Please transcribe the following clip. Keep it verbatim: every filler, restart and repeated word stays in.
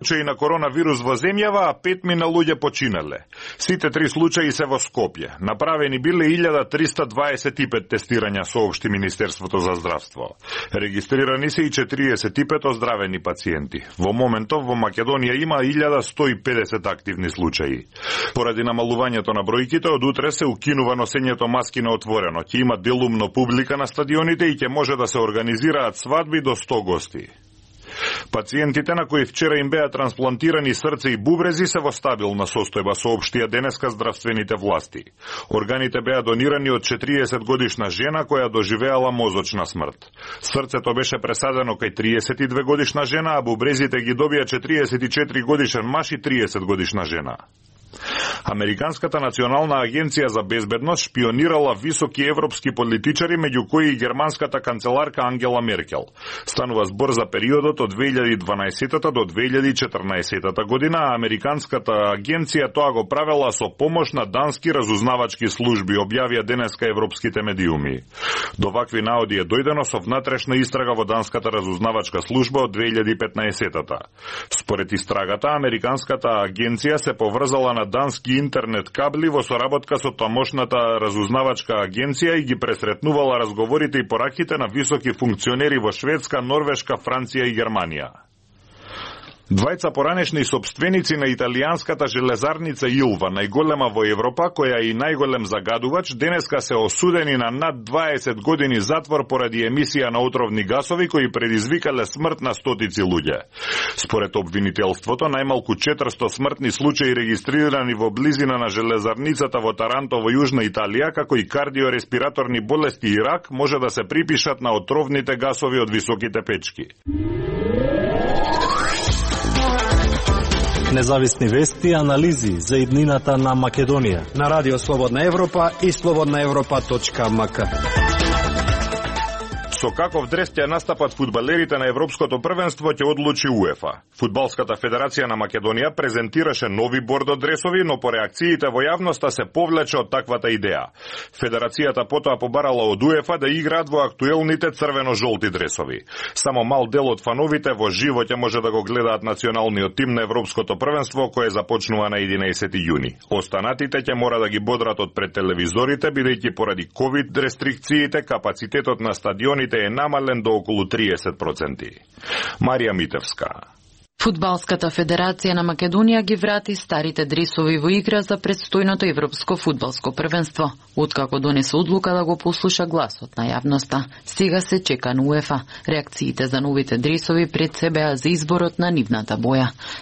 случаи на коронавирус во земјава, а петмина луѓе починале. Сите три случаи се во Скопје. Направени биле илјада триста дваесет и пет тестирања, соопшти Министерството за здравство. Регистрирани се и четириесет и пет оздравени пациенти. Во моментов во Македонија има илјада сто и педесет активни случаи. Поради намалувањето на бројките, од утре се укинува носењето маски на отворено. Ќе има делумно публика на стадионите и ќе може да се организираат свадби до сто гости. Пациентите на кои вчера им беа трансплантирани срце и бубрези се во стабилна состојба, соопштија денеска здравствените власти. Органите беа донирани од четириесет годишна жена која доживеала мозочна смрт. Срцето беше пресадено кај триесет и две годишна жена, а бубрезите ги добија четириесет и четири годишен маж и триесет годишна жена. Американската национална агенција за безбедност шпионирала високи европски политичари, меѓу кои и германската канцеларка Ангела Меркел. Станува збор за периодот од две илјади и дванаесета до две илјади и четрнаесета година, а американската агенција тоа го правела со помош на дански разузнавачки служби, објавија денеска европските медиуми. До вакви наоди е дојдено со внатрешна истрага во данската разузнавачка служба од две илјади и петнаесета. Според истрагата, американската агенција се поврзала на дански интернет кабли во соработка со тамошната разузнавачка агенција и ги пресретнувала разговорите и пораките на високи функционери во Шведска, Норвешка, Франција и Германија. Двајца поранешни собственици на италијанската железарница Илва, најголема во Европа, која е и најголем загадувач, денеска се осудени на над дваесет години затвор поради емисија на отровни гасови кои предизвикале смрт на стотици луѓе. Според обвинителството, најмалку четиристо смртни случаи регистрирани во близина на железарницата во Таранто во Јужна Италија, како и кардиореспираторни болести и рак, може да се припишат на отровните гасови од високите печки. Независни вести и анализи за иднината на Македонија на Радио Слободна Европа и слободна европа точка ем ка. Со каков дрес ќе настапат фудбалерите на Европското првенство ќе одлучи УЕФА. Фудбалската федерација на Македонија презентираше нови бордо дресови, но по реакциите во јавноста се повлече од таквата идеја. Федерацијата потоа побарала од УЕФА да играат во актуелните црвено-жолти дресови. Само мал дел од фановите во живо ќе може да го гледаат националниот тим на Европското првенство, кое започнува на единаесети јуни. Останатите ќе мора да ги бодрат од пред телевизорите, бидејќи поради ковид рестрикциите капацитетот на стадионите е намален до околу триесет проценти. Марија Митевска. Фудбалската федерација на Македонија ги врати старите дресови во игра за предстојното европско фудбалско првенство. Откако донесе одлука да го послуша гласот на јавноста, сега се чека на УЕФА реакциите за новите дресови пред се беа за изборот на нивната боја.